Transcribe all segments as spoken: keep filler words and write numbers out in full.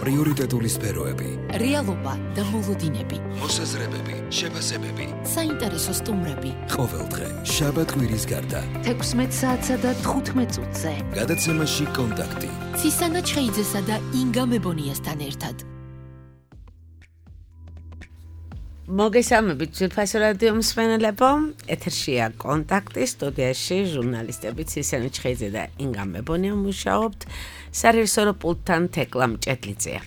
პრიორიტეტული სფეროები, რეალობა და მოლოდინები, მოსაზრებები, შეფასებები, საინტერესო სტუმრები. ყოველდღე შაბათ-კვირის გარდა თექვსმეტ საათსა და თხუთმეტ წუთზე გადაცემაში კონტაქტი ცისანა ჩხეიძესა და ინგა მებონიასთან ერთად. მოგესალმებით ძვირფასო რადიო მსმენელებო, ეთერშია კონტაქტი, სტუდიაში ჟურნალისტები ცისანა ჩხეიძე და ინგა მებონია მუშაობთ, სარეჟისორო პულტთან თეკლა მჭედლიძეა.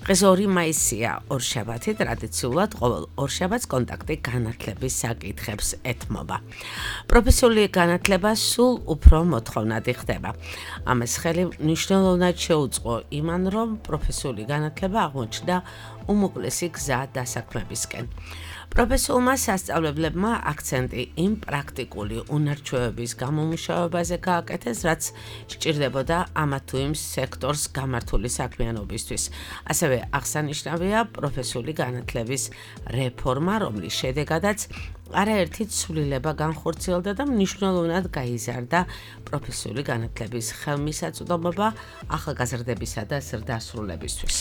დღეს ორი მაისია, ორშაბათი, ტრადიციულად ყოველ ორშაბათს კონტაქტი განათლების საკითხებს ეთმობა. პროფესიული განათლება სულ უფრო მოთხოვნადი ხდება. ამას ხელი მნიშვნელოვნად შეუწყო იმან, რომ პროფესიული განათლება აღმოჩნდა უმოკლესი გზა დასაქმებისკენ. პროფესიულმა სასწავლებლებმა აქცენტი იმ პრაქტიკული უნარჩვევების გამომუშავებაზე გააკეთეს, რაც სჭირდებოდა ამა თუ იმ სექტორს გამართული საქმიანობისთვის. ასევე აღსანიშნავია პროფესიული განათლების რეფორმა, რომლის შედეგადაც არაერთი ცვლილება განხორციელდა და მნიშვნელოვნად გაიზარდა პროფესიული განათლების ხელმისაწვდომობა ახალგაზრდებისა და ზრდასრულებისთვის.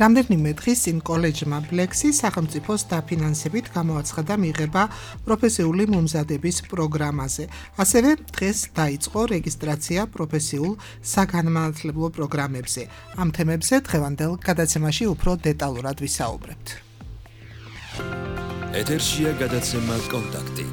რამდენიმე დღის წინ კოლეჯმა ბლექსი სახელმწიფოს დაფინანსებით გამოაცხადა მიღება პროფესიული მომზადების პროგრამაზე. ასევე დღეს დაიწყო რეგისტრაცია პროფესიულ საგანმანათლებლო პროგრამებზე. ამ თემებზე დღევანდელ გადაცემაში უფრო დეტალურად ვისაუბრებთ. ეთერშია გადაცემა კონტაქტი.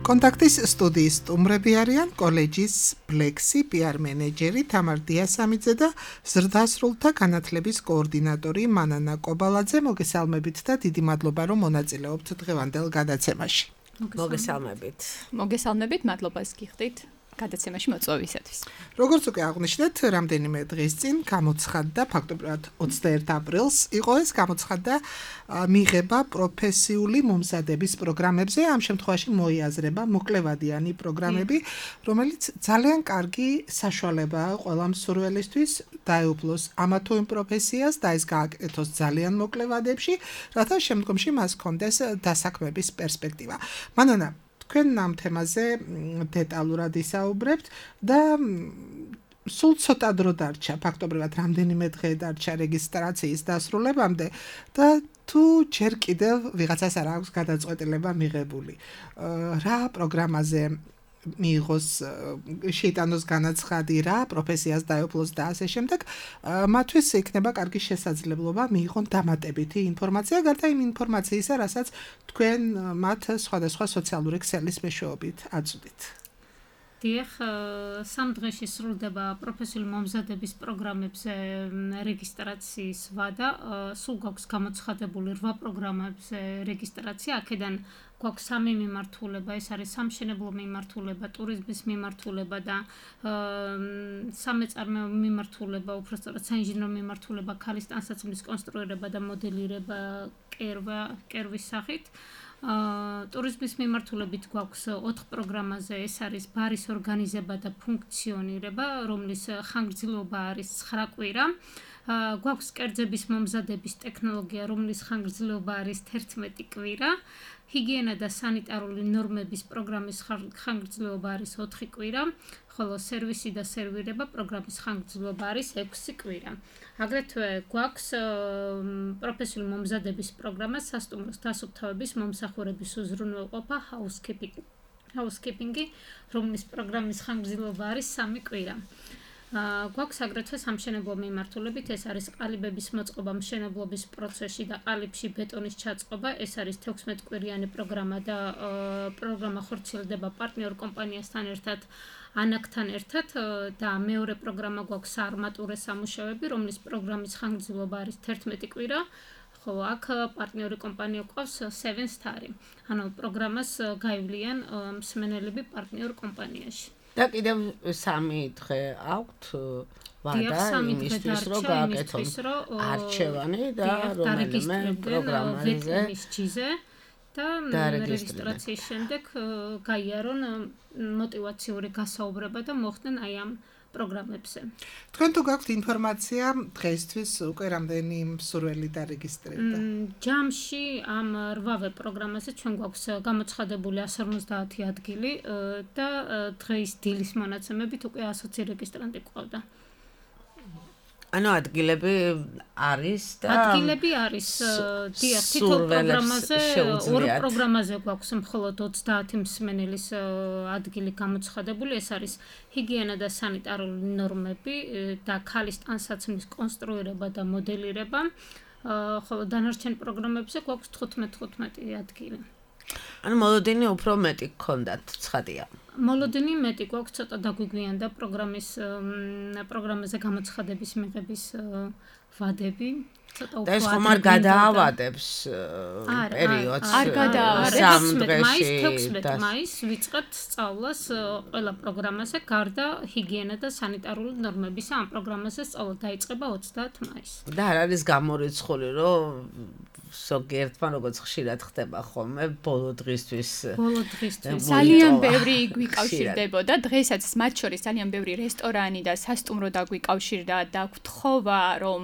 კონტაქტის სტუდიის სტუმრები არიან კოლეჯის ბლექსი პიარ მენეჯერი თამარ დიასამიძე და ზრდასრულთა განათლების კოორდინატორი მანანა კობალაძე. მოგესალმებით და დიდი მადლობა, რომ მონაწილეობთ დღევანდელ გადაცემაში. მოგესალმებით. მოგესალმებით, მადლობას გიხდით გადაცემაში მოწვევისათვის. როგორც უკვე აღვნიშნეთ, რამდენიმე დღის წინ გამოცხადდა, ფაქტობრივად ოცდაერთი აპრილს იყო ეს გამოცხადდა მიღება პროფესიული მომზადების პროგრამებზე. ამ შემთხვევაში მოიაზრება მოკლევადიანი პროგრამები, რომელიც ძალიან კარგი საშუალებაა ყველა მსურველისთვის დაეუფლოს ამა თუ იმ პროფესიას და ეს გააკეთოს ძალიან მოკლე ვადებში, რათა შემდგომში მას ჰქონდეს დასაქმების პერსპექტივა. მანანა, თქვენ ამ თემაზე დეტალურად ისაუბრებთ და სულ ცოტა დრო დარჩა, ფაქტობრივად რამდენიმე დღე დარჩა რეგისტრაციის დასრულებამდე და თუ ჯერ კიდევ ვიღაცას არ აქვს გადაწყვეტილება მიღებული. რა პროგრამაზე მიიღოს, შეიტანოს განაცხადი, რა პროფესიას დაეუფლოს და ასე შემდეგ, მათთვის იქნება კარგი შესაძლებლობა მიიღონ დამატებითი ინფორმაცია, გარდა იმ ინფორმაციისა, რასაც თქვენ მათ სხვადასხვა სოციალური ქსელის მეშვეობით აწვდით. დიახ, სამ დღეში სრულდება პროფესიული მომზადების პროგრამებზე რეგისტრაციის ვადა. სულ გვაქვს გამოცხადებული რვა პროგრამებზე რეგისტრაცია. აქედან გვაქვს სამი მიმართულება, ეს არის სამშენებლო მიმართულება, ტურიზმის მიმართულება და სამეწარმეო მიმართულება, უბრალოდ საინჟინრო მიმართულება, ქალის ტანსაცმლის კონსტრუირება და მოდელირება კერვა, კერვის სახით. ტურიზმის მიმართულებით გვაქვს ოთხ პროგრამაზე, ეს არის ბარის ორგანიზება და ფუნქციონირება, რომლის ხანგრძლივობა არის ცხრა კვირა. გვაქვს კერძების მომზადების ტექნოლოგია, რომლის ხანგრძლივობა არის თერთმეტი კვირა. ჰიგიენა და სანიტარული ნორმების პროგრამის ხანგრძლივობა არის ოთხი კვირა, ხოლო სერვისი და სერვირება პროგრამის ხანგრძლივობა არის ექვსი კვირა. აგრეთვე გვაქვს პროფესიული მომზადების პროგრამა სასტუმროს დასუფთავების მომსახურების უზრუნველყოფა ჰაუსკიპინგი, რომლის პროგრამის ხანგრძლივობა არის სამი კვირა. გვაქვს აგრეთვე სამშენებლო მიმართულებით, ეს არის ყალიბების მოწყობა მშენებლობის პროცესში და ყალიბში ბეტონის ჩაწყობა, ეს არის თექვსმეტ კვირიანი პროგრამა და პროგრამა ხორციელდება პარტნიორ კომპანიასთან ერთად, ანაკთან ერთად და მეორე პროგრამა გვაქვს არმატურა სამუშაოები, რომლის პროგრამის ხანგრძლივობა არის თერთმეტი კვირა. ხო, აქ პარტნიორი კომპანია ყავს seven star. ანუ პროგრამას გაივლიან მსმენელები პარტნიორ კომპანიაში. და კიდევ სამი დღე აქვთ ვადა იმისთვის, რომ გააკეთონ არჩევანი და რომელიმე პროგრამაზე და რეგისტრაციის შემდეგ გაიარონ მოტივაციური გასაუბრება და მოხდნენ აი ამ პროგრამებზე. თქვენ თუ გაქვთ ინფორმაცია დღეისთვის უკვე რამდენი მსურველი დარეგისტრირდა? ჯამში ამ რვავე პროგრამაზე ჩვენ გვაქვს გამოცხადებული one fifty ადგილი და დღეის დილის მონაცემებით უკვე one hundred რეგისტრანტი გვყავდა. ანუ ადგილები არის და ადგილები არის დიახ თითო პროგრამაზე ორ პროგრამაზე გვაქვს მხოლოდ ოცდაათი მსმენელის ადგილი გამოცხადებული ეს არის ჰიგიენა და სანიტარული ნორმები და ქალის ტანსაცმლის კონსტრუირება და მოდელირება ხოლო დანარჩენ პროგრამებზე გვაქვს თხუთმეტ თხუთმეტი ადგილი ანუ მოლოდინი უფრო მეტი გქონდათ ცხადია მოლოდინი მეტი გვაქვს ცოტა დაგვიგვიანდა პროგრამის პროგრამაზე გამოცხადების მიღების ვადები ცოტა უფრო და ეს ხომ არ გადაავადებს პერიოდს არ გადაავადებს მაისს თექვსმეტ მაისს ვიწყებთ სწავლას ყველა პროგრამაზე გარდა ჰიგიენა და სანიტარული ნორმებისა ამ პროგრამაზე სწავლა დაიწყება ოცდაათ მაისს და არ არის გამორიცხული რომ ზოგიერთმა როგორც ხშირად ხდება ხოლმე ბოლო დღისთვის ბოლო დღისთვის ძალიან ბევრი გვიკავშირდებოდა დღესაც მათ შორის ძალიან ბევრი რესტორანი და სასტუმრო დაგვიკავშირდა და გვთხოვა რომ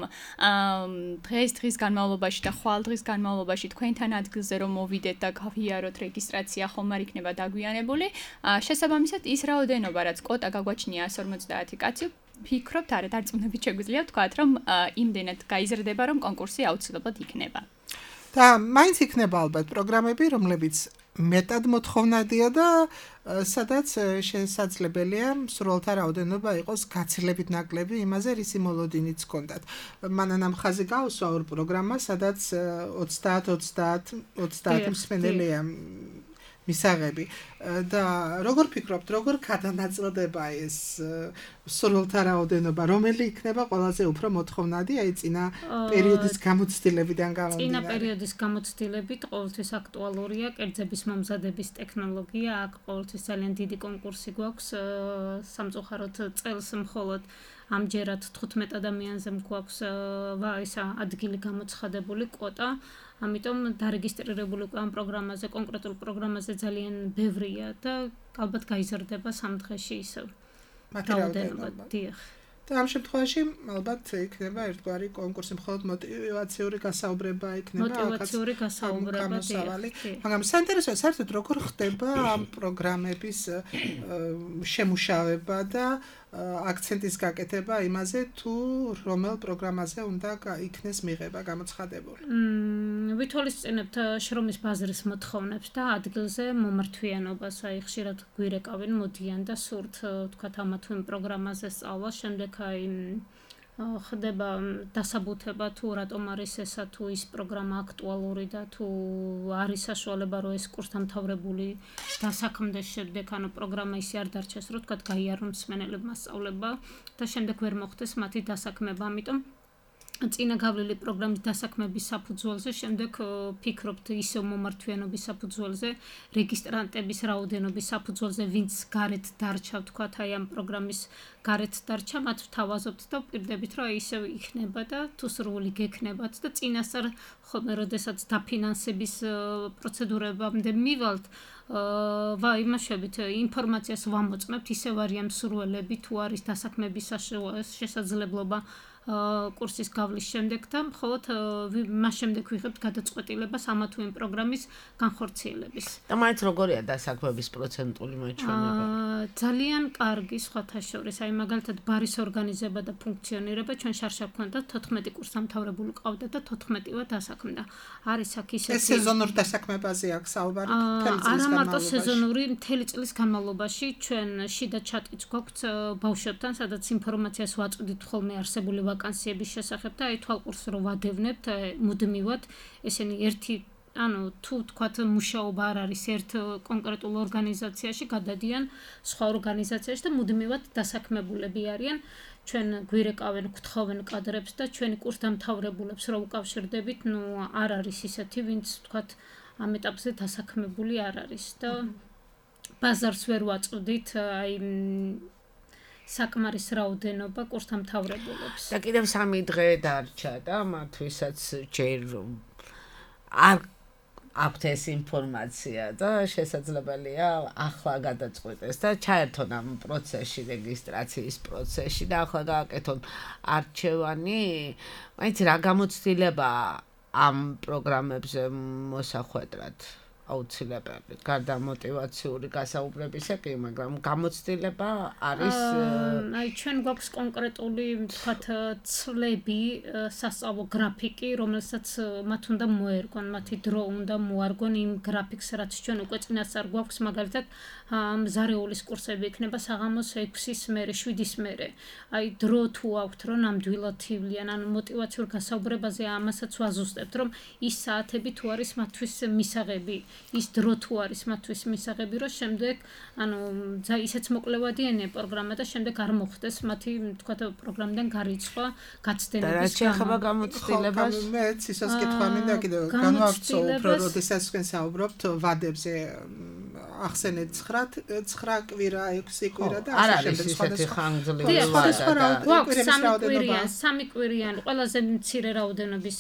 დღეს დღის განმავლობაში და ხვალ დღის განმავლობაში თქვენთან ადგილზე რომ მოვიდეთ და გავიაროთ რეგისტრაცია ხომ არ იქნება დაგვიანებული შესაბამისად ის რაოდენობა რაც კოტა გაგვაჩნია εκατს ორმოცდაათი კაცი ფიქრობთ არა დარწმუნებით შეგვიძლია ვთქვათ რომ იმდენად გაიზრდება რომ კონკურსი აუცილებლად იქნება და მაინც იქნება ალბათ პროგრამები რომლებიც მეტად მოთხოვნადია და სადაც შესაძლებელია მსურველთა რაოდენობა იყოს გაცილებით ნაკლები იმაზე რისი მოლოდინიც ჰქონდათ მანანამ ხაზი გავსვა ორ პროგრამა სადაც ოცდაათ ოცდაათ ოცდაათი მსმენელია მისაღები და როგორ ფიქრობთ როგორ გადანაწილდება ეს მსურველთა რაოდენობა რომელი იქნება ყველაზე უფრო მოთხოვნადი აი წინა პერიოდის გამოცდილებიდან გამომდინარე წინა პერიოდის გამოცდილებით ყოველთვის აქტუალურია კერძების მომზადების ტექნოლოგია აქ ყოველთვის ძალიან დიდი კონკურსი გვაქვს სამწუხაროდ წელს მხოლოდ ამჯერად თხუთმეტ ადამიანზე გვაქვს ისა ადგილი გამოცხადებული კვოტა ამიტომ დარეგისტრირებული ამ პროგრამაზე კონკრეტულ პროგრამაზე ძალიან ბევრია და ალბათ გაიზრდება სამ დღეში ისევ რაოდენობა დიახ და ამ შემთხვევაში ალბათ იქნება ერთგვარი კონკურსი მხოლოდ მოტივაციური გასაუბრება იქნება მოტივაციური გასაუბრება მაგრამ საინტერესოა საერთოდ როგორ ხდება ამ პროგრამების შემუშავება და აქცენტის გაკეთება იმაზე თუ რომელ პროგრამაზე უნდა იქნეს მიღება გამოცხადებული. მმ ვითვალისწინებთ შრომის ბაზრის მოთხოვნებს და ადგილზე მომართვიანობას, აი ხშირად გვირეკავენ, მოდიან და სურთ თქვათ ამა თუ იმ პროგრამაზე სწავლა, შემდეგ აი ხდება დასაბუთება თუ რატომ არის ესა თუ ის პროგრამა აქტუალური და თუ არის საშუალება რომ ეს კურსდამთავრებული დასაქმდეს შემდეგ ანუ პროგრამა ისე არ დარჩეს რომ თქვათ გაიარონ მსმენელებმა სწავლება და შემდეგ ვერ მოხდეს მათი დასაქმება ამიტომ წინა გავლილი პროგრამის დასაქმების საფუძველზე შემდეგ ფიქრობთ ისევ მომართვიანობის საფუძველზე რეგისტრანტების რაოდენობის საფუძველზე ვინც გარეთ დარჩა თქვათ აი ამ პროგრამის გარეთ დარჩა მათ ვთავაზობთ და ვპირდებით რომ ისევ იქნება და თუ სრული გექნებათ და წინასწარ ხოლმე როდესაც დაფინანსების პროცედურებამდე მივალთ ვა იმაშებით ინფორმაციას ვამოწმებთ ისევ არიან მსურველები თუ არის დასაქმების შესაძლებლობა კურსის გავლის შემდეგ და მხოლოდ მას შემდეგ ვიღებთ გადაწყვეტილებას ამა თუ იმ პროგრამის განხორციელების. და მაინც როგორია დასაქმების პროცენტული მაჩვენება? ძალიან კარგი სხვათა შორის, აი მაგალითად ბარის ორგანიზება და ფუნქციონირება ჩვენ შარშა გვქონდა თოთხმეტი კურსდამთავრებული ყავდა და თოთხმეტივა დასაქმდა. არის აქ ისეთი ეს სეზონურ დასაქმებაზე აქვს საუბარი მთელი წლის განმავლობაში. არა მარტო სეზონური, მთელი წლის განმავლობაში ჩვენ შიდა ჩატიც გვაქვს ბავშვებთან, სადაც ინფორმაციას ვაწვდით ხოლმე არსებული ვაკანსიების შესახებ და აი თვალყურს რო ვადევნებთ მუდმივად ესენი ერთი ანუ თუ თქვათ მუშაობა არ არის ერთ კონკრეტულ ორგანიზაციაში გადადიან სხვა ორგანიზაციაში და მუდმივად დასაქმებულები არიან ჩვენ გვირეკავენ გთხოვენ კადრებს და ჩვენი კურსდამთავრებულებს რო უკავშირდებით ნუ არ არის ისეთი ვინც თქვათ ამ ეტაპზე დასაქმებული არ არის და ბაზარს ვერ ვაწვდით აი საკმარის რაოდენობა კურსდამთავრებულებს. და კიდევ სამი დღე დარჩა და მათვისაც ჯერ არ აქვთ ეს ინფორმაცია და შესაძლებელია ახლა გადაწყვეტეს და ჩაერთონ ამ პროცესში რეგისტრაციის პროცესში და ახლა გააკეთონ არჩევანი. მაინც რა გამოცდილება ამ პროგრამებზე მოსახვედრად აუცილებელი. გარდა მოტივაციური გასაუბრებისა კი, მაგრამ გამოცდილება არის აი ჩვენ გვაქვს კონკრეტული, თქვათ, ცვლები, სასწავლო გრაფიკი, რომელსაც მათ უნდა მოერგონ, მათი დრო უნდა მოარგონ იმ გრაფიკს, რაც ჩვენ უკვე წინასწარ გვაქვს, მაგალითად, მზარეულის კურსები იქნება საღამოს ექვსის მერე, შვიდის მერე. აი დრო თუ აქვთ, რომ ნამდვილად თვლიან, ანუ მოტივაციურ გასაუბრებაზე ამასაც ვაზუსტებთ, რომ ის საათები თუ არის მათთვის მისაღები, ის დრო თუ არის მათთვის მისაღები, რომ შემდეგ, ანუ ისეც მოკლევადიანია პროგრამა და შემდეგ არ მოხდეს მათი, თქვათ, პროგრამიდან გარიცხვა, გაცდენების გამო. და რა შეეხება გამოცდილებას? მეც ისაც კითხვა მინდა კიდევ განვავრცო უფრო, როდესაც თქვენ საუბრობთ ვადებზე, ახსენეთ ცხრა კვირა, ექვსი კვირა და ასე შემდეგ სხვადასხვა ხანგრძლივი ვადა. გვაქვს სამი კვირიან, სამი კვირიან, ყველაზე მცირე რაოდენობის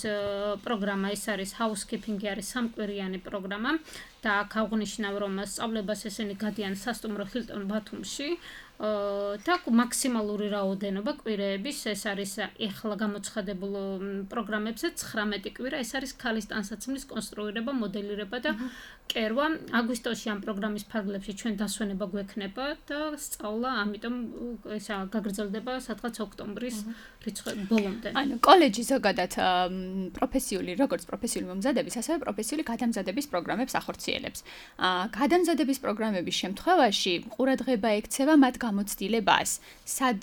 პროგრამა ის არის housekeeping-ი არის სამკვირიანი პროგრამა და აქ აღნიშნავ რომ სწავლებას ესენი გადიან სასტუმრო Hilton Batumში და მაქსიმალური რაოდენობა კვირეების ეს არის ეხლა გამოცხადებულ პროგრამებზე ცხრამეტი კვირა ეს არის ქალის ტანსაცმლის კონსტრუირება, მოდელირება და კერვა. აგვისტოში ამ პროგრამის ფარგლებში ჩვენ დასვენება გვექნება და სწავლა, ამიტომ ესა გაგრძელდება სადღაც ოქტომბრის რიცხვი ბოლომდე. ანუ კოლეჯი ზოგადად პროფესიული, როგორც პროფესიული მომზადების, ასევე პროფესიული გადამზადების პროგრამებს ახორციელებს. გადამზადების პროგრამების შემთხვევაში ყურადღება ექცევა მათ გამოცდილებას. სად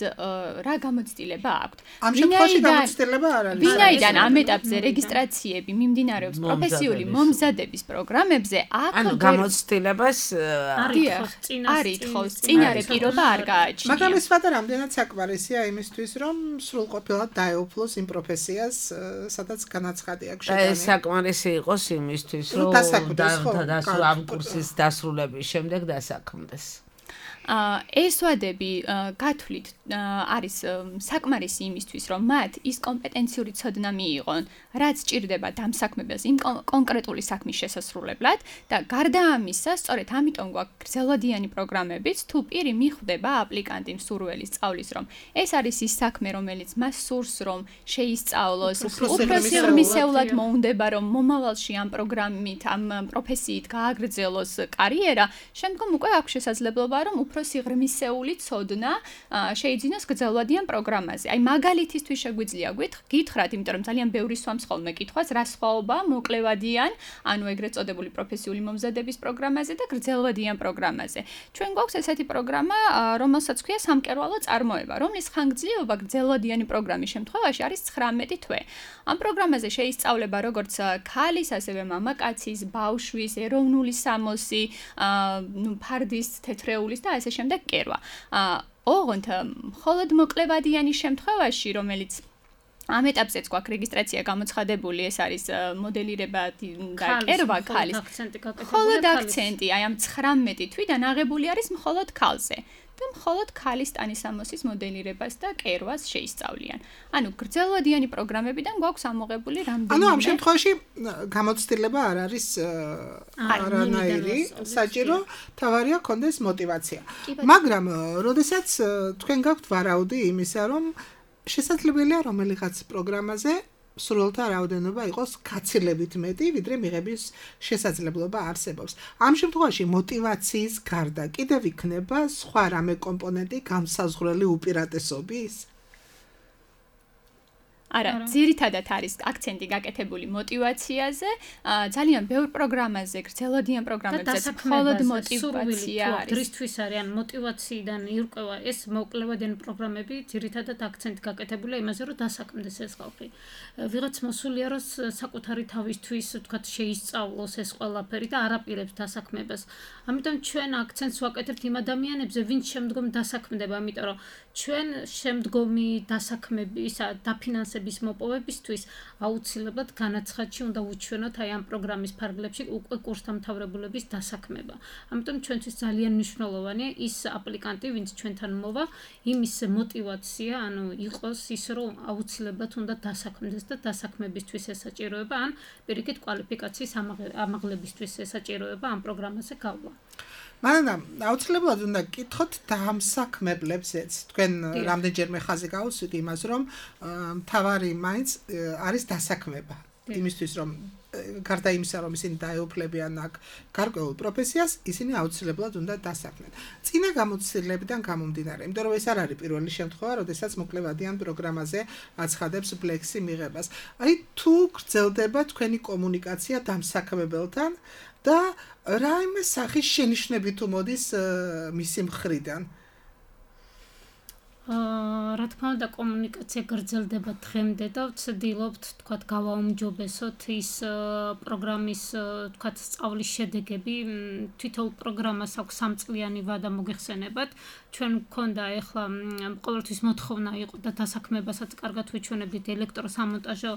რა გამოცდილება აქვთ? ამ შემთხვევაში გამოცდილება არ არის. ვინაიდან ამ ეტაპზე რეგისტრაციები მიმდინარეობს პროფესიული მომზადების პროგრამებზე, აქ ანუ გამოცდილებას არ ითხოვს, წინარე პირობა არ გააჩნია. მაგრამ ეს ვადა რამდენად საკმარისია იმისთვის, რომ სრულყოფილად დაეუფლოს იმ პროფესიას, სადაც განაცხადი აქვს შეტანილი. ეს საკმარისი იყოს იმისთვის, რომ ამ კურსის დასრულების შემდეგ დასაქმდეს. ეს ვადები გათვლით არის საკმარისი იმისთვის, რომ მათ ის კომპეტენციური ცოდნა მიიღონ, რაც სჭირდება დამსაქმებას იმ კონკრეტული საქმის შესასრულებლად და გარდა ამისა, სწორედ ამიტომ გვაქვს გრძელვადიანი პროგრამებიც, თუ პირი მიხვდება აპლიკანტი მსურველი სწავლის, რომ ეს არის ის საქმე, რომელიც მას სურს, რომ შეისწავლოს, უფრო სიღრმისეულად მოუნდება, რომ მომავალში ამ პროგრამით, ამ პროფესიით გააგრძელოს კარიერა, შემდგომ უკვე აქვს შესაძლებლობა, რომ უფრო სიღრმისეული ცოდნა შეიძინოს გრძელვადიან პროგრამაზე. აი მაგალითისთვის შეგვიძლია გითხრათ, იმიტომ რომ ძალიან ბევრი სვამს ხოლმე კითხვას, რა სხვაობა მოკლევადიან, ანუ ეგრეთ წოდებული პროფესიული მომზადების პროგრამაზე და გრძელვადიან პროგრამაზე. ჩვენ გვაქვს ესეთი პროგრამა, რომელსაც ქვია სამკერვალო წარმოება, რომლის ხანგრძლივობა გრძელვადიანი პროგრამის შემთხვევაში არის ცხრამეტი თვე. ამ პროგრამაზე შეისწავლება როგორც ქალის, ასევე მამაკაცის, ბავშვის, ეროვნული სამოსი, ნუ ფარდის, თეთრეულის და ასე შემდეგ კერვა. ოღონდ მხოლოდ მოკლევადიანის შემთხვევაში, რომელიც ამ ეტაპზეც გვაქვს რეგისტრაცია გამოცხადებული, ეს არის მოდელირება და კერვა ქალის. მხოლოდ აქცენტი, აი ამ ცხრამეტი თვიდან აღებული არის მხოლოდ ქალზე. და მხოლოდ ქალის ტანისამოსის მოდელირებას და კერვას შეისწავლიან. ანუ გრძელვადიანი პროგრამებიდან გვაქვს ამოღებული რამდენიმე. ანუ ამ შემთხვევაში გამოცდილება არ არის არანაირი, საჭირო თავარია კონდეს მოტივაცია. მაგრამ როდესაც თქვენ გაქვთ ვარაუდი იმისა, რომ შესაძლებელია რომელიღაც პროგრამაზე სრულთა რაოდენობა იყოს გაცილებით მეტი, ვიდრე მიღების შესაძლებლობა არსებობს. ამ შემთხვევაში მოტივაციის გარდა კიდევ იქნება სხვა რამე კომპონენტი განსაზღვრელი უპირატესობის? არა, ძირითადად არის აქცენტი გაკეთებული მოტივაციაზე, ძალიან ბევრ პროგრამაზე, გრძელვადიან პროგრამებზეც მხოლოდ მოტივაცია არის. დრისთვის არის ან მოტივაციიდან ირკვევა ეს მოკლევადიანი პროგრამები, ძირითადად აქცენტი გაკეთებულია იმაზე, რომ დასაქმდეს ეს ხალხი. ვიღაც მოსულია, რომ საკუთარი თავისთვის, თქვათ, შეისწავლოს ეს ყველაფერი და არაპირებს დასაქმებას. ამიტომ ჩვენ აქცენტს ვაკეთებთ იმ ადამიანებზე, ვინც შემდგომ დასაქმდება, ამიტომ რომ ჩვენ შემდგომი დასაქმების, დაფინანსების მოპოვებისთვის აუცილებლად განაცხადში უნდა უჩვენოთ აი ამ პროგრამის ფარგლებში უკვე კურსდამთავრებულების დასაქმება. ამიტომ ჩვენთვის ძალიან მნიშვნელოვანია ის აპლიკანტი, ვინც ჩვენთან მოვა, იმის მოტივაცია, ანუ იყოს ის, რომ აუცილებლად უნდა დასაქმდეს და დასაქმებისთვის ესაჭიროება, ან პირიქით კვალიფიკაციის ამაღლებისთვის ესაჭიროება ამ პროგრამაზე გავლა. მაგრამ აუცილებლად უნდა გკითხოთ დამსაქმებლებზეც. თქვენ რამდენჯერმე ხაზი გაუსვით იმას, რომ მთავარი მაინც არის დასაქმება. იმისთვის რომ გარდა იმისა რომ ისინი დაეუფლებიან აქ გარკვეულ პროფესიას, ისინი აუცილებლად უნდა დასაქმեն. წინა გამოცდილებიდან გამომდინარე, იმიტომ რომ ეს არ არის პირველი შემთხვევა, როდესაც მოკლევადიან პროგრამაზე აცხადებს ბლექსი მიღებას. აი თუ გრძელდება თქვენი კომუნიკაცია დამსაქმებელთან და რაიმე სახის შენიშვნები თუ მოდის მისი მხრიდან. აა რა თქმა უნდა კომუნიკაცია გრძელდება დღემდე და ვცდილობთ თქვათ გავაუმჯობესოთ ის პროგრამის თქვათ სწავლის შედეგები თვითონ პროგრამას აქვს სამწლიანი ვადა მოგეხსენებათ ჩვენ მქონდა ეხლა ყოველთვის მოთხოვნა იყო და დასაქმებასაც კარგად ვიჩვენებდით ელექტროსამონტაჟო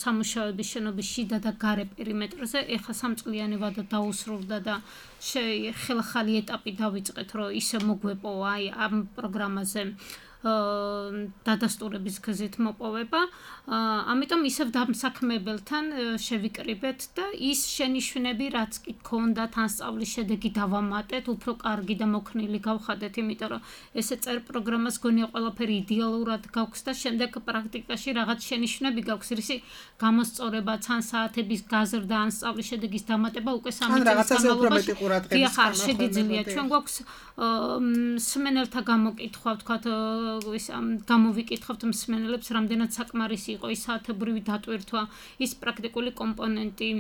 სამუშაოების შენობის შიდა და გარე პერიმეტრზე ეხლა სამწლიანი ვადა დაუსრულდა და ხელახალი ეტაპი დავიწყეთ რომ ისე მოგვეპო აი ამ პროგრამაზე დადასტურების გზით მოპოვება. ამიტომ ისევ დამსაქმებელთან შევიკრიბეთ და ის შენიშვნები რაც კი გქონდათ ან სწავლის შედეგი დავამატეთ, უფრო კარგი და მოქნილი გავხადეთ, იმიტომ რომ ესე წერ პროგრამას გონია ყველაფერი იდეალურად გაქვს და შემდეგ პრაქტიკაში რაღაც შენიშვნები გაქვს, რისი გამოსწორება, ან საათების გაზრდა, ან სწავლის შედეგის დამატება უკვე სამი წლის განმავლობაში. დიახ, არ შეგიძლია. ჩვენ გვაქვს მსმენელთა გამოკითხვა, ვთქვათ, ის გამოვიკითხავთ მსმენელებს, რამდენად საკმარისი იყო ის საათებრივი დატვირთვა, ის პრაქტიკული კომპონენტი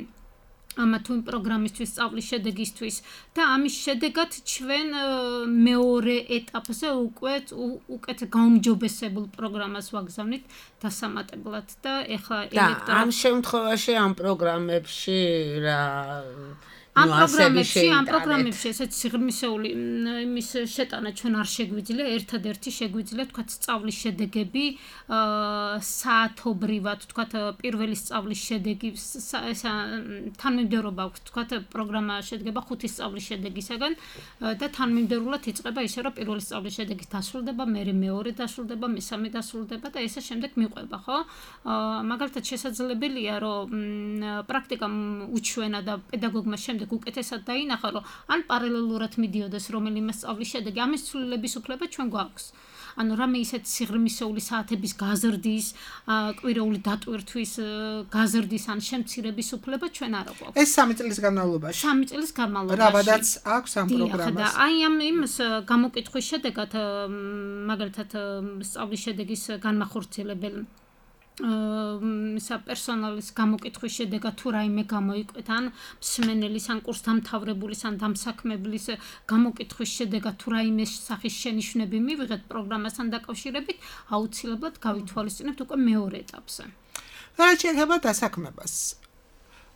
ამა თუ იმ პროგრამისთვის, სწავლის შედეგისთვის და ამის შედეგად ჩვენ მეორე ეტაპზე უკვე უკეთ გაუმჯობესებულ პროგრამას ვაგზავნით დასამატებლად და ეხლა ელექტრო ამ შემთხვევაში ამ პროგრამებში რა ამ პროგრამებში, ამ პროგრამებში ესეც სიღრმისეული იმის შეტანა ჩვენ არ შეგვიძლია, ერთადერთი შეგვიძლია თქვათ სწავლის შედეგები საათობრივად, თქვათ პირველი სწავლის შედეგი თანმიმდევრობა აქვს, თქვათ პროგრამა შედგება ხუთი სწავლის შედეგისაგან და თანმიმდევრულად იწყება ისე რომ პირველი სწავლის შედეგი დასრულდება, მერე მეორე დასრულდება, მესამე დასრულდება და ესე შემდეგ მიყვება, ხო? მაგალითად შესაძლებელია რომ პრაქტიკამ უჩვენა და პედაგოგმა შემდეგ უკეთესად დაინახა, რომ ან პარალელურად მიდიოდეს რომელიმე სწავლის შედეგი, ამის ცვლილების უფლება ჩვენ გვაქვს. ანუ რამე ისეთ სიღრმისეული საათების გაზრდის, კვირეული დატვირთვის გაზრდის ან შემცირების უფლება ჩვენ არ გვაქვს. ეს სამი წლის განმავლობაში. სამი წლის განმავლობაში. რავადაც აქვს ამ პროგრამას. და აი ამ იმის გამოკითხვის შედეგად მაგალითად სწავლის შედეგის განმახორციელებელი ისა პერსონალის გამოკითხვის შედეგად თუ რაიმე გამოიკვეთ ან მსმენელის ან კურსდამთავრებულის ან დამსაქმებლის გამოკითხვის შედეგად თუ რაიმე სახის შენიშვნები მივიღეთ პროგრამასთან დაკავშირებით, აუცილებლად გავითვალისწინებთ უკვე მეორე ეტაპზე. და რაც შეეხება დასაქმებას.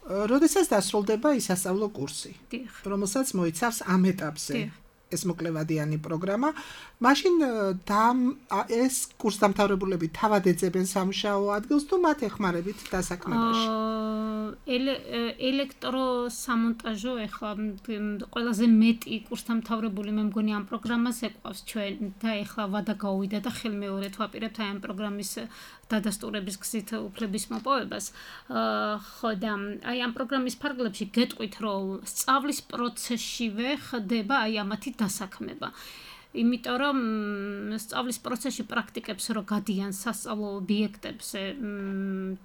როდესაც დასრულდება ისასწავლო კურსი, რომელსაც მოიცავს ამ ეტაპზე ეს მოკლევადიანი პროგრამა, მაშინ ეს კურსდამთავრებულები თავად ეძებენ სამუშაო ადგილს თუ მათ ეხმარებით დასაქმებაში? ელექტროსამონტაჟო ეხლა ყველაზე მეტი კურსდამთავრებული მე მგონი ამ პროგრამას ეყვავს ჩვენ და ეხლა ვადა გაუვიდა და ხელმეორედ ვაპირებთ აი ამ პროგრამის დადასტურების გზით უფლების მოპოვებას. ხო და აი ამ პროგრამის ფარგლებში გეტყვით რომ სწავლის პროცესშივე ხდება აი ამათი დასაქმება. იმიტომ რომ სწავლის პროცესში პრაქტიკებს რო გადიან სასწავლო ობიექტებზე,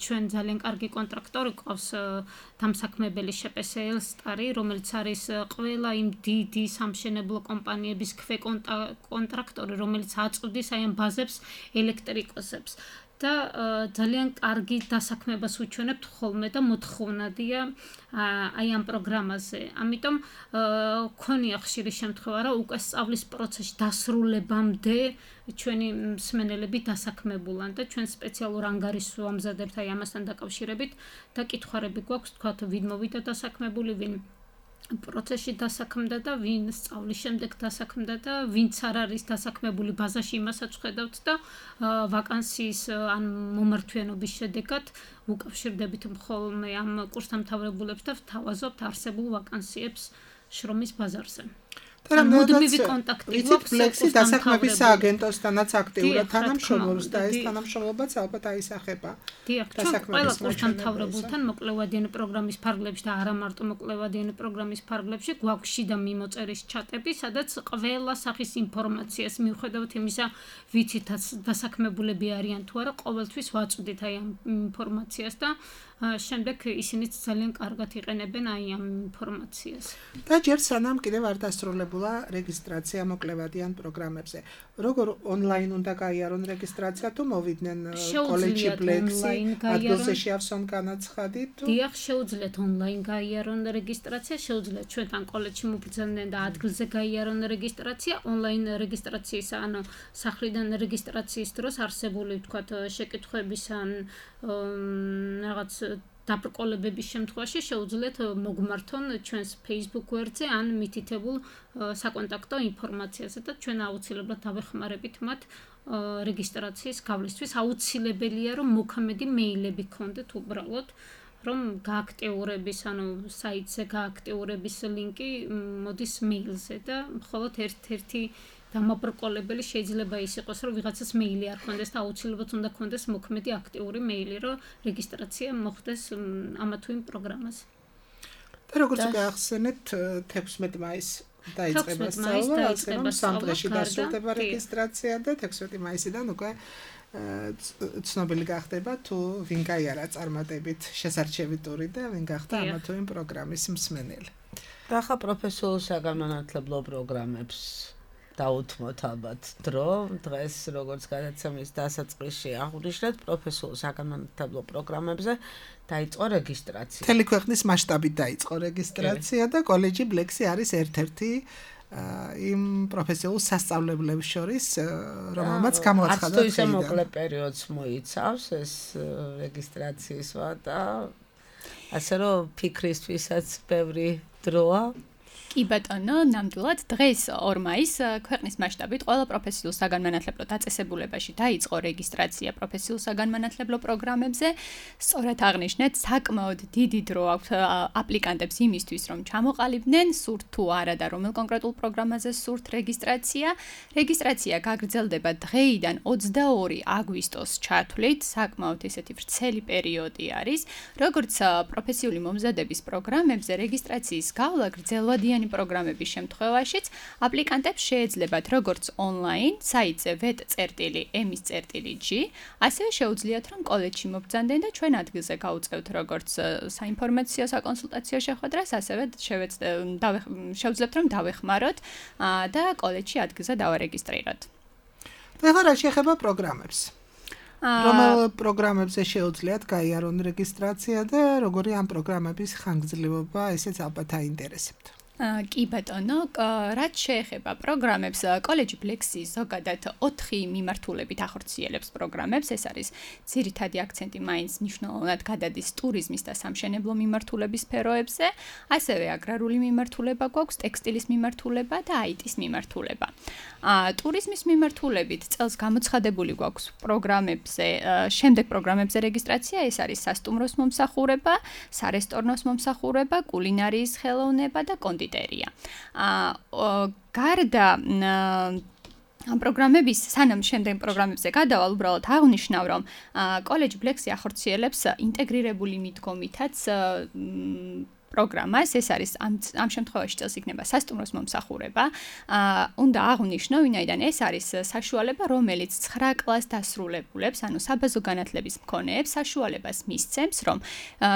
ჩვენ ძალიან კარგი კონტრაქტორი ყავს დამსაქმებელი შპსl სტარი, რომელიც არის ყველა იმ დიდი სამშენებლო კომპანიების ქვეკონტრაქტორი, რომელიც აწვდის აი ამ ბაზებს ელექტრიკოსებს. და ძალიან კარგი დასაქმებას უჩვენებთ ხოლმე და მოთხოვნადია აი ამ პროგრამაზე. ამიტომ ქონია ხშირი შემთხვევა, რომ უკვე სწავლის პროცესში დასრულებამდე ჩვენი მსმენელები დასაქმებულან და ჩვენ სპეციალურ ანგარიშს ვამზადებთ აი ამასთან დაკავშირებით და კითხვარები გვაქვს, თქვათ ვინ მოვიდა დასაქმებული, ვინ პროცესში დასაქმდა და ვინ სწავლის შემდეგ დასაქმდა და ვინც არ არის დასაქმებული ბაზაში იმასაც ხედავთ და ვაკანსიის ან მომართვიანობის შედეგად უკავშირდებით ხოლმე ამ კურსდამთავრებულებს და ვთავაზობთ არსებულ ვაკანსიებს შრომის ბაზარზე. და მუდმივი კონტაქტი გვაქვს ბლექსი დასაქმების სააგენტოსთანაც აქტიურად თანამშრომლობს და ეს თანამშრომლობაც ალბათ აისახება. დიახ, ყველა კურსდამთავრებულთან მოკლევადიანი პროგრამის ფარგლებში და არა მარტო მოკლევადიანი პროგრამის ფარგლებში გვაქვს შიდა მიმოწერის ჩატები, სადაც ყველა სახის ინფორმაციას მიუხედავად იმისა, ვიცით დასაქმებულები არიან თუ არა, ყოველთვის ვაწვდით აი ამ ინფორმაციას და შემდეგ ისინიც ძალიან კარგად იყენებენ აი ამ ინფორმაციას. და ჯერ სანამ კიდევ არ დასრულებულა რეგისტრაცია მოკლევადიან პროგრამებზე. როგორ ონლაინ უნდა გაიარონ რეგისტრაცია თუ მოვიდნენ კოლეჯში ბლექსი, ადგილზე შეავსონ განაცხადი თუ დიახ, შეუძლიათ ონლაინ გაიარონ რეგისტრაცია, შეუძლიათ ჩვენთან კოლეჯში მობრძანდნენ და ადგილზე გაიარონ რეგისტრაცია, ონლაინ რეგისტრაციის ანუ სახლიდან რეგისტრაციის დროს არსებული ვთქვათ შეკითხვების ან რაღაც დაბრკოლებების შემთხვევაში შეუძლიათ მოგმართონ ჩვენს Facebook გვერდზე ან მითითებულ საკონტაქტო ინფორმაციაზე და ჩვენ აუცილებლად დავეხმარებით მათ რეგისტრაციის გავლისთვის. აუცილებელია რომ მოქმედი მეილები გქონდეთ უბრალოდ რომ გააქტიურების, ანუ საიტზე გააქტიურების ლინკი მოდის მეილზე და მხოლოდ ერთ-ერთი დამაბრკოლებელი შეიძლება ის იყოს, რომ ვიღაცას მეილი არ ქონდეს და აუცილებლად უნდა ქონდეს მოქმედი აქტიური მეილი, რომ რეგისტრაცია მოხდეს ამა თუ იმ პროგრამაზე. და როგორც გაახსენეთ, თექვსმეტი მაისი დაიწყება სწავლა, ახლა სამ დღეში დასრულდება რეგისტრაცია და თექვსმეტი მაისიდან უკვე ცნობილი გახდება თუ ვინ გაიარა წარმატებით შესარჩევი ტური და ვინ გახდა ამა თუ იმ პროგრამის მსმენელი. და ახლა პროფესიულ საგანმანათლებლო პროგრამებს დაუთმოთ ალბათ დრო. დღეს როგორც გადაცემის დასაწყისში აღვნიშნეთ, პროფესიულ საგანმანათლებლო პროგრამებზე დაიწყო რეგისტრაცია. მთელი ქვეყნის მასშტაბით დაიწყო რეგისტრაცია და კოლეჯი ბლექსი არის ერთ-ერთი იმ პროფესიულ სასწავლებლებს შორის, რომელმაც გამოაცხადა ხელი. ასე მოკლე პერიოდს მოიცავს ეს რეგისტრაციისვა და ასე რომ ფიქრისთვისაც ბევრი დროა. კი ბატონო, ნამდვილად დღეს ორ მაისს ქვეყნის მასშტაბით ყველა პროფესიულ საგანმანათლებლო დაწესებულებაში დაიწყო რეგისტრაცია პროფესიულ საგანმანათლებლო პროგრამებზე. სწორად აღნიშნეთ, საკმაოდ დიდი დრო აქვს აპლიკანტებს იმისთვის, რომ ჩამოყალიბდნენ სურთ თუ არა და რომელ კონკრეტულ პროგრამაზე სურთ რეგისტრაცია. რეგისტრაცია გაგრძელდება დღეიდან ოცდაორი აგვისტოს ჩათვლით, საკმაოდ ესეთი ვრცელი პერიოდი არის. როგორც პროფესიული მომზადების პროგრამებზე რეგისტრაციის გავლა გრძელვადიანი პროგრამების შემთხვევაშიც აპლიკანტებს შეეძლებათ როგორც ონლაინ საიტზე vet.ემის.g, ასევე შეუძლიათ რომ კოლეჯში მობრძანდნენ და ჩვენ ადგილზე გაუწევთ როგორც საინფორმაციო საკონსულტაციო შეხვედრას, ასევე შეუძლებთ რომ დავეხმაროთ და კოლეჯში ადგილზე დავარეგისტრიროთ. ეხლა რა შეეხება პროგრამებს? რომელ პროგრამებზე შეუძლიათ გაიარონ რეგისტრაცია და როგორი ამ პროგრამების ხანგრძლივობა, ესეც ალბათ აინტერესებთ. კი ბატონო, რაც შეეხება პროგრამებს, კოლეჯი ბლექსი ზოგადად ოთხი მიმართულებით ახორციელებს პროგრამებს. ეს არის ძირითადი აქცენტი მაინც მნიშვნელოვნად გადადის ტურიზმის და სამშენებლო მიმართულების სფეროებზე, ასევე აგრარული მიმართულება გვაქვს, ტექსტილის მიმართულება და აი ტის მიმართულება. ტურიზმის მიმართულებით წელს გამოცხადებული გვაქვს პროგრამებზე, შემდეგ პროგრამებზე რეგისტრაცია, ეს არის სასტუმროს მომსახურება, სარესტორნოს მომსახურება, კულინარიის ხელოვნება და კონდიტერია. გარდა ამ პროგრამების სანამ შემდეგ პროგრამებზე გადავალ, უბრალოდ აღნიშნავ, რომ კოლეჯ ბლექსი ახორციელებს ინტეგრირებული მიდგომითაც პროგრამას, ეს არის ამ ამ შემთხვევაში წელს იქნება სასტუმროს მომსახურება. უნდა აღვნიშნო, ვინაიდან ეს არის საშუალება, რომელიც ცხრა კლასს დასრულებულებს, ანუ საბაზო განათლების მქონეებს საშუალებას მისცემს, რომ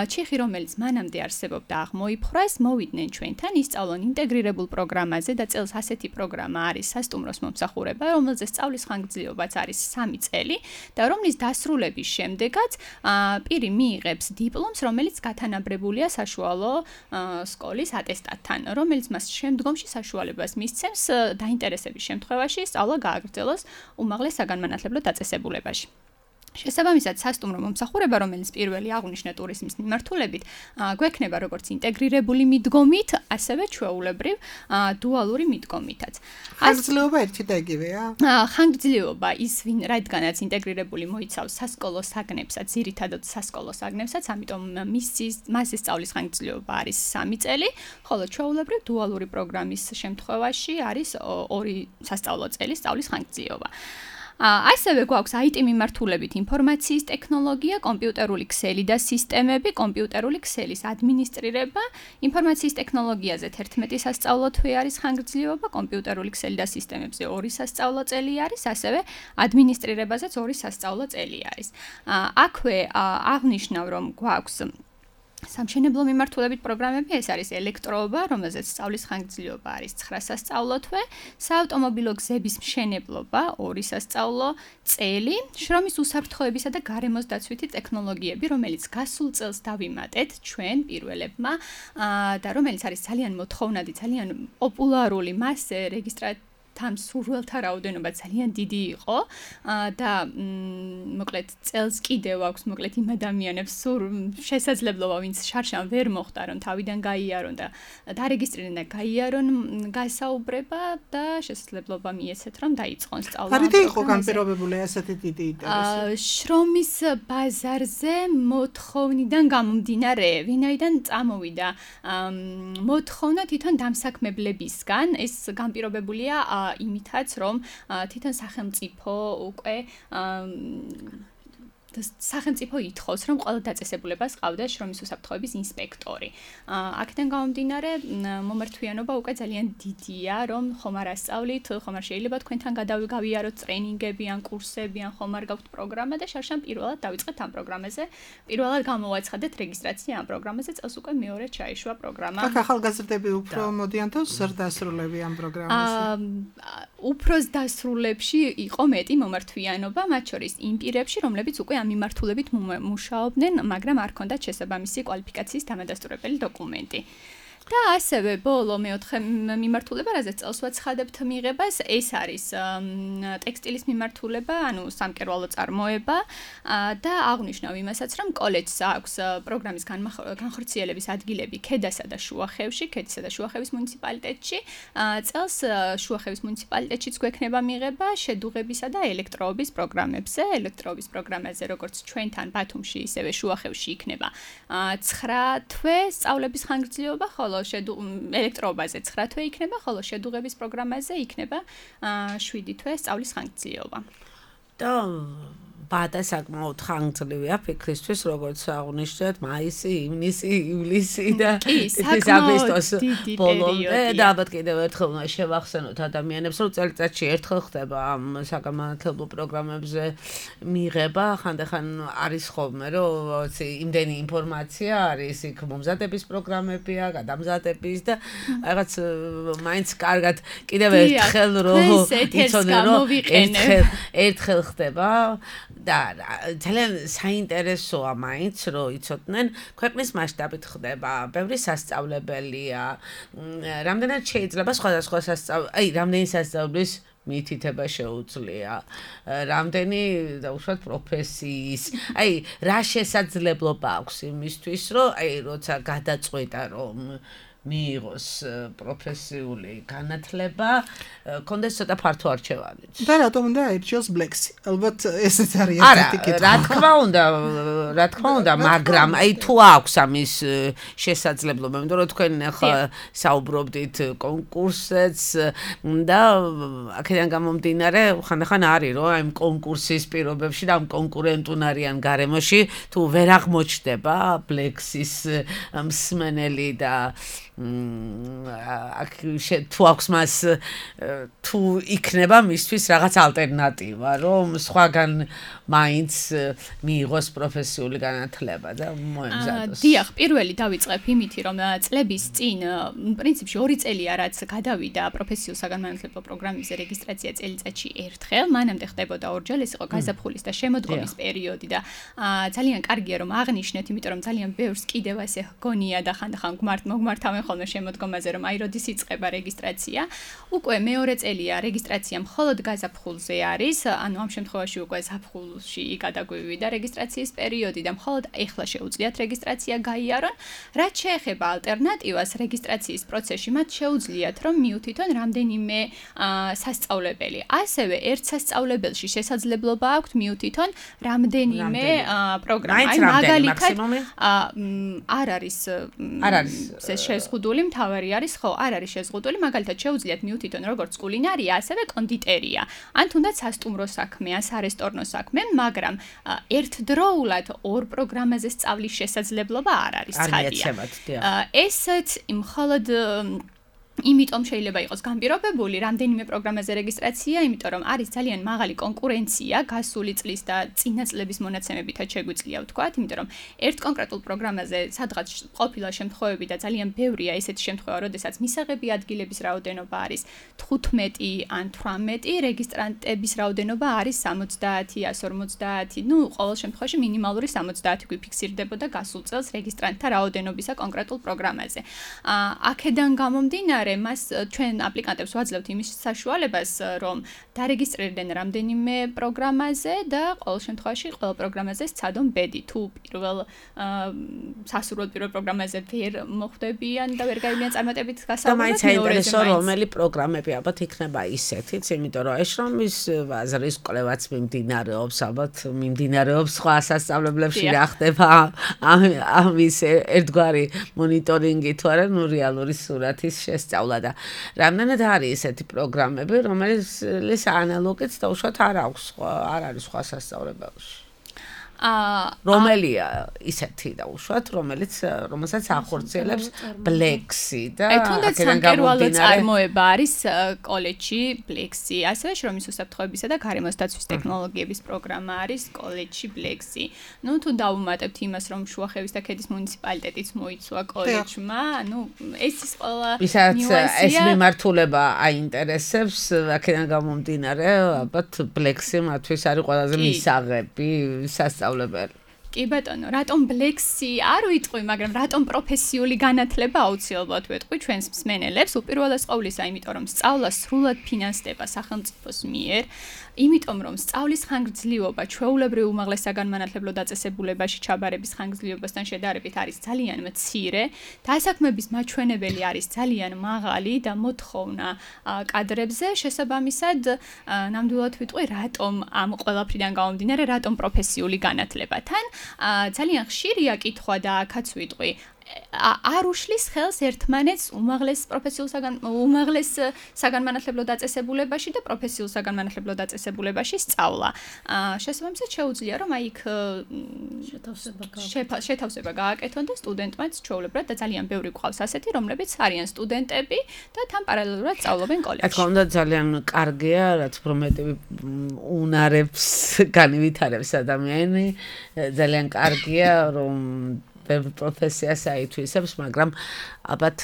ჩიხი, რომელიც მანამდე არსებობდა, აღმოიფხვრას, მოვიდნენ ჩვენთან, ისწავლონ ინტეგრირებულ პროგრამაზე და წელს ასეთი პროგრამა არის სასტუმროს მომსახურება, რომელზეც სწავლის ხანგრძლივობაც არის სამი წელი და რომლის დასრულების შემდეგაც პირი მიიღებს დიპლომს, რომელიც გათანაბრებულია საშუალო სკოლის ატესტატთან, რომელიც მას შემდგომში საშუალებას მისცემს დაინტერესების შემთხვევაში სწავლა გააგრძელოს უმაღლეს საგანმანათლებლო დაწესებულებაში. შესაბამისად, სასტუმრო მომსახურება, რომელიც პირველი აღვნიშნე ტურიზმის მიმართულებით, გვექნება როგორც ინტეგრირებული მიდგომით, ასევე ჩვეულებრივ დუალური მიდგომითაც. ხანგრძლივობა ერთი და იგივეა? ხანგრძლივობა ის, ვინ რადგანაც ინტეგრირებული მოიცავს სასკოლო საგნებსაც, ძირითადად სასკოლო საგნებსაც, ამიტომ მისის მასის სწავლის ხანგრძლივობა არის სამი წელი, ხოლო ჩვეულებრივ დუალური პროგრამის შემთხვევაში არის ორი სასწავლო წელი სწავლის ხანგრძლივობა. ასევე გვაქვს აი ტი მიმართულებით ინფორმაციის ტექნოლოგია, კომპიუტერული ქსელი და სისტემები, კომპიუტერული ქსელის ადმინისტრირება, ინფორმაციის ტექნოლოგიაზე თერთმეტი სასწავლო თვე არის ხანგრძლივობა, კომპიუტერული ქსელი და სისტემებზე ორი სასწავლო წელი არის, ასევე ადმინისტრირებაზეც ორი სასწავლო წელი არის. აქვე აღნიშნავ, რომ გვაქვს სამშენებლო მიმართულებით პროგრამები, ეს არის ელექტროობა, რომელზეც სწავლის ხანგრძლივობა არის ცხრა სასწავლო თვე, საავტომობილო გზების მშენებლობა, ორი სასწავლო წელი, შრომის უსაფრთხოებისა და გარემოს დაცვითი ტექნოლოგიები, რომელიც გასულ წელს დავიმატეთ ჩვენ პირველებმა და რომელიც არის ძალიან მოთხოვნადი, ძალიან პოპულარული, მასზე რეგისტრაცია თან სურვილთა რაოდენობა ძალიან დიდი იყო და მოკლედ წელს კიდევ აქვს მოკლედ იმ ადამიანებს სურ შესაძლებლობა ვინც შარშან ვერ მოხდა რომ თავიდან გაიარონ და დარეგისტრირდნენ და გაიარონ გასაუბრება და შესაძლებლობა მიეცეთ რომ დაიწყონ სწავლა. ფარიდი იყო განპირობებული ასეთი დიდი ინტერესი. შრომის ბაზარზე მოთხოვნიდან გამომდინარე, ვინაიდან წამოვიდა მოთხოვნა თვითონ დამსაქმებლებისგან, ეს განპირობებულია იმითაც რომ თვითონ სახელმწიფო უკვე სახელმწიფო ითხოვს რომ ყველა დაწესებულებას ყავდა შრომის უსაფრთხოების ინსპექტორი. აქედან გამომდინარე მომართვიანობა უკვე ძალიან დიდია რომ ხომ არ ასწავლით, ხომ არ შეიძლება თქვენთან გადავიგავიაროთ ტრენინგები ან კურსები ან ხომ არ გაქვთ პროგრამა და შარშან პირველად დავიწყეთ ამ პროგრამაზე. პირველად გამოვაცხადეთ რეგისტრაცია ამ პროგრამაზე, წელს უკვე მეორე ჩაიშვა პროგრამა. აქ ახალგაზრდები უფრო მოდიან თუ ზრდასრულები ამ პროგრამაზე? უფრო დასრულებში იყო მეტი მომართვიანობა, მათ შორის იმ პირებში, რომლებიც უკვე მიმართულებით მუშაობდნენ, მაგრამ არ ჰქონდათ შესაბამისი კვალიფიკაციის დამადასტურებელი დოკუმენტი. და ასევე ბოლო მეოთხე მიმართულება, რაზეც წელს ვაცხადებთ მიღებას, ეს არის ტექსტილის მიმართულება, ანუ სამკერვალო წარმოება და აღნიშნავ იმასაც, რომ კოლეჯს აქვს პროგრამის განხორციელების ადგილები ქედასა და შუახევში, ქედისა და შუახევის მუნიციპალიტეტში. წელს შუახევის მუნიციპალიტეტშიც გვექნება მიღება შედუღებისა და ელექტროობის პროგრამებზე. ელექტროობის პროგრამაზე, როგორც ჩვენთან ბათუმში, ისევე შუახევში იქნება ცხრა თვე სწავლების ხანგრძლივობა, ხოლო ელექტროობაზე ცხრა თვე იქნება, ხოლო შედუღების პროგრამაზე იქნება შვიდი თვე სწავლის ხანგრძლივობა. და ბადა საკმაოდ ხანგრძლივია ფიქრისთვის, როგორც აღნიშნეთ, მაისი, ივნისი, ივლისი და აგვისტოს ბოლომდე და ალბათ კიდევ ერთხელ უნდა შევახსენოთ ადამიანებს, რომ წელიწადში ერთხელ ხდება ამ საგანმანათლებლო პროგრამებზე მიღება, ხანდახან არის ხოლმე, რომ იმდენი ინფორმაცია არის, იქ მომზადების პროგრამებია, გადამზადების და რაღაც მაინც კარგად კიდევ ერთხელ რომ იცოდნენ, რომ ერთხელ ერთხელ ხდება და ძალიან საინტერესოა მაინც რომ იცოდნენ ქვეყნის მასშტაბით ხდება ბევრი სასწავლებელია რამდენად შეიძლება სხვადასხვა სასწავლებელი აი რამდენი სასწავლებლის მითითება შეუძლია რამდენი დაუშვათ პროფესიის აი რა შესაძლებლობა აქვს იმისთვის რომ აი როცა გადაწყვეტა რომ მიიღოს პროფესიული განათლება, კონდეს ცოტა ფართო არჩევანი. და რატომ უნდა აირჩიოს ბლექსი? ალბათ ესეც არის ერთი კითხვა. რა თქმა უნდა, რა თქმა უნდა, მაგრამ აი თუ აქვს ამის შესაძლებლობა, იმიტომ რომ თქვენ ახლა საუბრობდით კონკურსებს და აქედან გამომდინარე, ხანდახან არის რომ აი კონკურსის პირობებში და ამ კონკურენტუნარიან გარემოში თუ ვერ აღმოჩნდება ბლექსის მსმენელი და აქ თუ აქვს მას თუ იქნება მისთვის რაღაც ალტერნატივა რომ სხვაგან მაინც მიიღოს პროფესიული განათლება და მოემზადოს. დიახ, პირველი დავიწყებ იმითი რომ წლების წინ პრინციპში ორი წელია რაც გადავიდა პროფესიულ საგანმანათლებლო პროგრამებზე რეგისტრაცია წელიწადში ერთხელ, მანამდე ხდებოდა ორჯერ, ეს იყო გაზაფხულის და შემოდგომის პერიოდი და ძალიან კარგია რომ აღნიშნეთ, იმიტომ რომ ძალიან ბევრს კიდევ ასე ჰგონია და ხანდახან გმართ მოგმართავენ ხოლმე შემოდგომაზე რომ აი როდის იწყება რეგისტრაცია. უკვე მეორე წელია რეგისტრაცია მხოლოდ გაზაფხულზე არის, ანუ ამ შემთხვევაში უკვე ზაფხულში გადაგვივიდა რეგისტრაციის პერიოდი და მხოლოდ ეხლა შეუძლიათ რეგისტრაცია გაიარონ. რაც შეეხება ალტერნატივას რეგისტრაციის პროცესში, მათ შეუძლიათ რომ მიუთითონ რამდენიმე სასწავლებელი. ასევე ერთ სასწავლებელში შესაძლებლობა აქვთ მიუთითონ რამდენიმე პროგრამა. აი მაგალითად არ არის არ არის ეს შეზღუდული მთავარი არის, ხო, არ არის შეზღუდული, მაგალითად შეუძლიათ მიუთითონ როგორც კულინარია, ასევე კონდიტერია. ან თუნდაც სასტუმრო საქმე, ან სარესტორნო საქმე, მაგრამ ერთდროულად ორ პროგრამაზე სწავლის შესაძლებლობა არ არის ცხადია. ესეც მხოლოდ იმიტომ შეიძლება იყოს განპირობებული რამდენიმე პროგრამაზე რეგისტრაცია, იმიტომ რომ არის ძალიან მაღალი კონკურენცია გასული წლის და წინა წლების მონაცემებითაც შეგვიძლია ვთქვათ, იმიტომ რომ ერთ კონკრეტულ პროგრამაზე სადღაც ყოფილა შემთხვევები და ძალიან ბევრია ესეთი შემთხვევა, როდესაც მისაღები ადგილების რაოდენობა არის თხუთმეტი ან თვრამეტი, რეგისტრანტების რაოდენობა არის სამოცდაათი, ასი ორმოცდაათი, ну, ყოველ შემთხვევაში მინიმალური სამოცდაათი გვიფიქსირდებოდა გასულ წელს რეგისტრანტთა რაოდენობისა კონკრეტულ პროგრამაზე. აქედან გამომდინარე მას ჩვენ აპლიკანტებს ვაძლევთ იმის საშუალებას, რომ დარეგისტრირდნენ რამდენიმე პროგრამაზე და ყოველ შემთხვევაში ყოველ პროგრამაზე სცადონ ბედი. თუ პირველ სასურველ პირველ პროგრამაზე ვერ მოხვდებიან და ვერ გაივლიან წარმატებით გასავლელად, და მაინც საინტერესო რომელი პროგრამები ალბათ იქნება ისეთიც, იმიტომ რომ ეშრომის ბაზრის კვლევაც მიმდინარეობს, ალბათ მიმდინარეობს სხვა სასწავლებლებში რა ხდება ამის ერთგვარი მონიტორინგი თუ არა, ნუ რეალური სურათის შესწავლა და რამდენად არის ესეთი პროგრამები, რომელიც ანალოგიც დაუშვათ არ აქვს სხვა, არ არის სხვა სასწავლებელში. რომელია ისეთი დაუშვათ, რომელიც რომელსაც ახორციელებს ბლექსი და აქედან გამომდინარე წარმოება არის კოლეჯში ბლექსი, ასევე შრომის უსაფრთხოებისა და გარემოს დაცვის ტექნოლოგიების პროგრამა არის კოლეჯში ბლექსი. ნუ თუ დავუმატებთ იმას, რომ შუახევის და ქედის მუნიციპალიტეტიც მოიცვა კოლეჯმა, ნუ ეს ის ყველა ნიუანსია. ეს მიმართულება აინტერესებს, აქედან გამომდინარე, ალბათ ბლექსი მათთვის არის ყველაზე მისაღები სასწავლებელი. კი ბატონო, რატომ ბლექსი არ ვიტყვი, მაგრამ რატომ პროფესიული განათლება აუცილებლად ვეტყვი ჩვენს მსმენელებს, უპირველეს ყოვლისა, იმიტომ რომ სწავლა სრულად ფინანსდება სახელმწიფოს მიერ, იმიტომ რომ სწავლის ხანგრძლივობა ჩვეულებრივ უმაღლეს საგანმანათლებლო დაწესებულებაში ჩაბარების ხანგრძლივობასთან შედარებით არის ძალიან მცირე, დასაქმების მაჩვენებელი არის ძალიან მაღალი და მოთხოვნა კადრებზე, შესაბამისად, ნამდვილად ვიტყვი, რატომ ამ ყველაფრიდან გამომდინარე, რატომ პროფესიული განათლება. თან ძალიან ხშირია კითხვა და აქაც ვიტყვი, არ უშლის ხელს ერთმანეთს უმაღლეს პროფესიულ საგან უმაღლეს საგანმანათლებლო დაწესებულებაში და პროფესიულ საგანმანათლებლო დაწესებულებაში სწავლა. შესაბამისად შეუძლია რომ აი იქ შეთავსება გააკეთონ და სტუდენტმაც ჩვეულებრივად და ძალიან ბევრი გვყავს ასეთი, რომლებიც არიან სტუდენტები და თან პარალელურად სწავლობენ კოლეჯში. რა თქმა უნდა ძალიან კარგია, რაც უფრო მეტი უნარებს განივითარებს ადამიანი, ძალიან კარგია რომ პროფესიას აითვისებს, მაგრამ ალბათ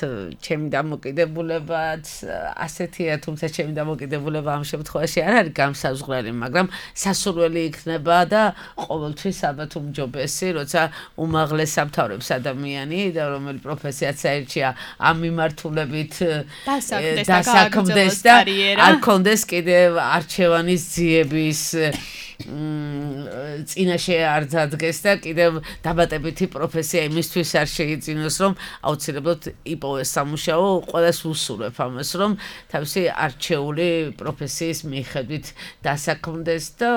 ჩემი დამოკიდებულებაც ასეთია, თუმცა ჩემი დამოკიდებულება ამ შემთხვევაში არ არის გამსაზღვრელი, მაგრამ სასურველი იქნება და ყოველთვის ალბათ უმჯობესი, როცა უმაღლეს სამთავრებს ადამიანი და რომელი პროფესიაც აირჩია ამ მიმართულებით დასაქმდეს და არ კონდეს კიდევ არჩევანის ძიების წინაშე არ დადგეს და კიდევ დაბატებითი პროფესია იმისთვის არ შეიძინოს, რომ აუცილებლად იპოვეს სამუშაო, ყველას უსურვებ ამას, რომ თავისი არჩეული პროფესიის მიხედვით დასაქმდეს და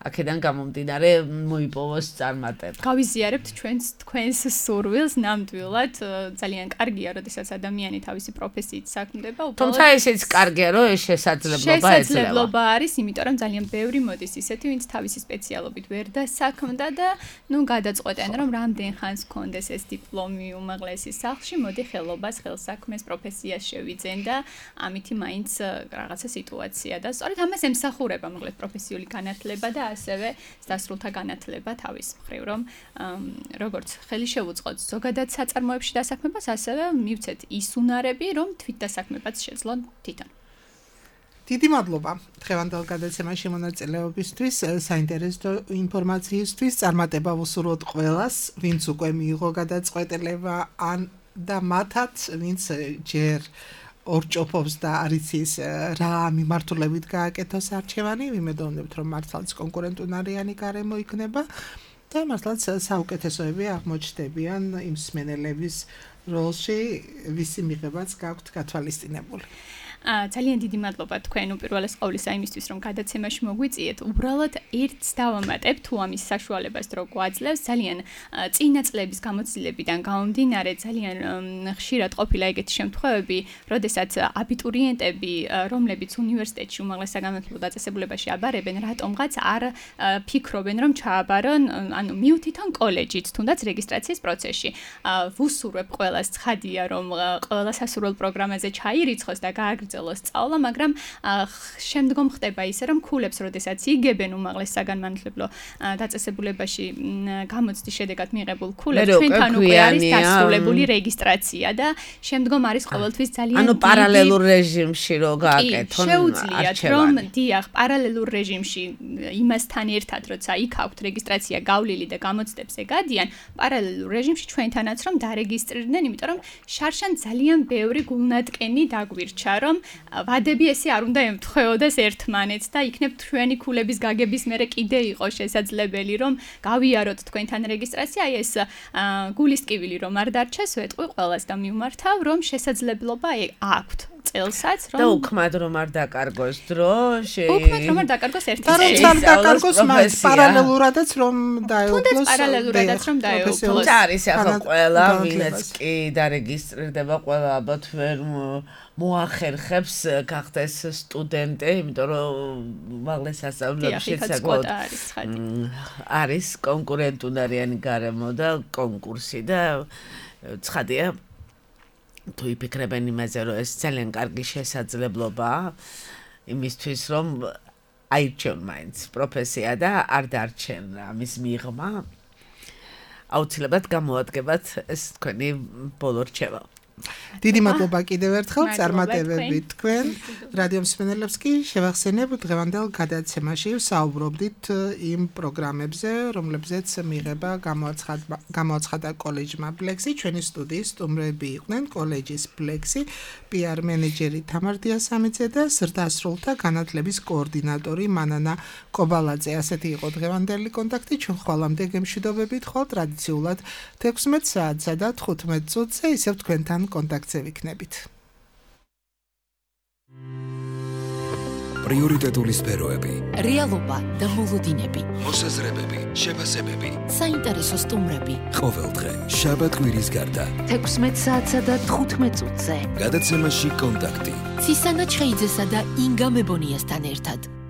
აქედან გამომდინარე მოიპოვოს წარმატება. გავიზიარებთ ჩვენს თქვენს სურვილს ნამდვილად, ძალიან კარგია, როდესაც ადამიანი თავისი პროფესიით საქმდება, უბრალოდ თუმცა ესეც კარგია, რომ ეს შესაძლებლობა ეძლევა. შესაძლებლობა არის, იმიტომ რომ ძალიან ბევრი მოდის ისეთი, ვინც თავისი სპეციალობით ვერ დასაქმდა და ნუ გადაწყვეტენ, რომ რამდენ ხანს გქონდეს ეს დიპლომი უმაღლესი სახლში, მოდი ხელობას, ხელსაქმეს პროფესიას შევიძენ და ამითი მაინც რაღაცა სიტუაცია და სწორედ ამას ემსახურება მოკლედ პროფესიული განათლება და ასევე დასრულთა განათლება თავის მხრივ, რომ როგორც ხელი შევუწყოთ ზოგადად საწარმოებში დასაქმებას, ასევე მივცეთ ის უნარები, რომ თვით დასაქმებაც შეძლონ თვითონ. დიდი მადლობა დღევანდელ გადაცემაში მონაწილეობისთვის, საინტერესო ინფორმაციისთვის, წარმატება ვუსურვოთ ყველას, ვინც უკვე მიიღო გადაწყვეტილება ან და მათაც, ვინც ჯერ ორჭოფობს და არის ის რა მიმართულებით გააკეთოს არჩევანი, ვიმედოვნებთ რომ მართლაც კონკურენტუნარიანი გარემო იქნება და მართლაც საუკეთესოები აღმოჩნდებიან იმ მსმენელების როლში, ვისი მიღებაც გაქვთ გათვალისწინებული. ძალიან დიდი მადლობა თქვენ უპირველეს ყოვლისა იმისთვის რომ გადაცემაში მოგვიწიეთ. უბრალოდ ერთს დავამატებ თუ ამის საშუალებას რო გვაძლევს ძალიან წინა წლების გამოცდილებიდან გამომდინარე ძალიან ხშირად ყოფილა ეგეთი შემთხვევები, როდესაც აბიტურიენტები, რომლებიც უნივერსიტეტში უმაღლეს საგანმანათლებლო დაწესებულებაში აბარებენ, რატომღაც არ ფიქრობენ რომ ჩააბარონ, ანუ მიუთითონ კოლეჯით, თუნდაც რეგისტრაციის პროცესში. ვუსურვებ ყველას ცხადია რომ ყველა სასურველ პროგრამაზე ჩაირიცხოს და გააგრძელოს სწავლა, მაგრამ შემდგომ ხდება ისე რომ ქულებს, როდესაც იგებენ უმაღლეს საგანმანათლებლო დაწესებულებაში გამოცდის შედეგად მიღებულ ქულებს, ჩვენთან უკვე არის დასრულებული რეგისტრაცია და შემდგომ არის ყოველთვის ძალიან ანუ პარალელურ რეჟიმში რო გააკეთონ შეუძლიათ რომ დიახ, პარალელურ რეჟიმში იმასთან ერთად, როცა იქ აქვთ რეგისტრაცია გავლილი და გამოცდებს ეგადიან, პარალელურ რეჟიმში ჩვენთანაც რომ დარეგისტრირდნენ, იმიტომ რომ შარშან ძალიან ბევრი გულნატკენი დაგვირჩა, რომ ვადები ესე არ უნდა ემთხვეოდეს ერთმანეთს და იქნებ თქვენი ქულების გაგების მერე კიდე იყო შესაძლებელი რომ გავიაროთ თქვენთან რეგისტრაცია, აი ეს გულისტკივილი რომ არ დარჩეს, ვეტყვი ყველას და მიმართავ რომ შესაძლებლობა აქვთ წელსაც რომ და უქმად რომ არ დაკარგოს დრო უქმად რომ არ დაკარგოს ერთი წელი და რომ დაკარგოს მას პარალელურადაც რომ დაეუფლოს პარალელურადაც რომ დაეუფლოს არის ახლა ყველა ვინც კი დარეგისტრირდება ყველა ალბათ ვერ მოახერხებს გახდეს სტუდენტი, იმიტომ რომ უმაღლეს სასწავლებლებში საკმაოდ არის კონკურენტუნარიანი გარემო და კონკურსი და ცხადია თუ იფიქრებენ იმაზე, რომ ეს ძალიან კარგი შესაძლებლობაა იმისთვის, რომ აირჩიონ მაინც პროფესია და არ დარჩენ ამის მიღმა, აუცილებლად გამოადგებათ ეს თქვენი ბოლო რჩევა. დიდი მადლობა კიდევ ერთხელ წარმატებებით თქვენ. რადიო მსმენელებს კი შევახსენებ დღევანდელ გადაცემაში ვსაუბრობდით იმ პროგრამებზე, რომლებზეც მიღება გამოაცხადა კოლეჯმა ბლექსი. ჩვენი სტუდიის სტუმრები იყვნენ კოლეჯის ბლექსი პი არ მენეჯერი თამარ დიასამიძე და ზრდასრულთა განათლების კოორდინატორი მანანა კობალაძე. ასეთი იყო დღევანდელი კონტაქტი. ჩვენ ხვალამდე გემშვიდობებით ხვალ ტრადიციულად თექვსმეტ საათსა და თხუთმეტ წუთზე ისევ თქვენთან კონტაქტზე ვიქნებით. პრიორიტეტული სფეროები, რეალობა და მოლოდინები, მოსაზრებები, შეფასებები, საინტერესო სტუმრები. ყოველდღე შაბათ-კვირის გარდა თექვსმეტ საათსა და თხუთმეტ წუთზე. გადაცემაში კონტაქტი. ცისანა ჩხეიძესა და ინგა მებონიასთან ერთად.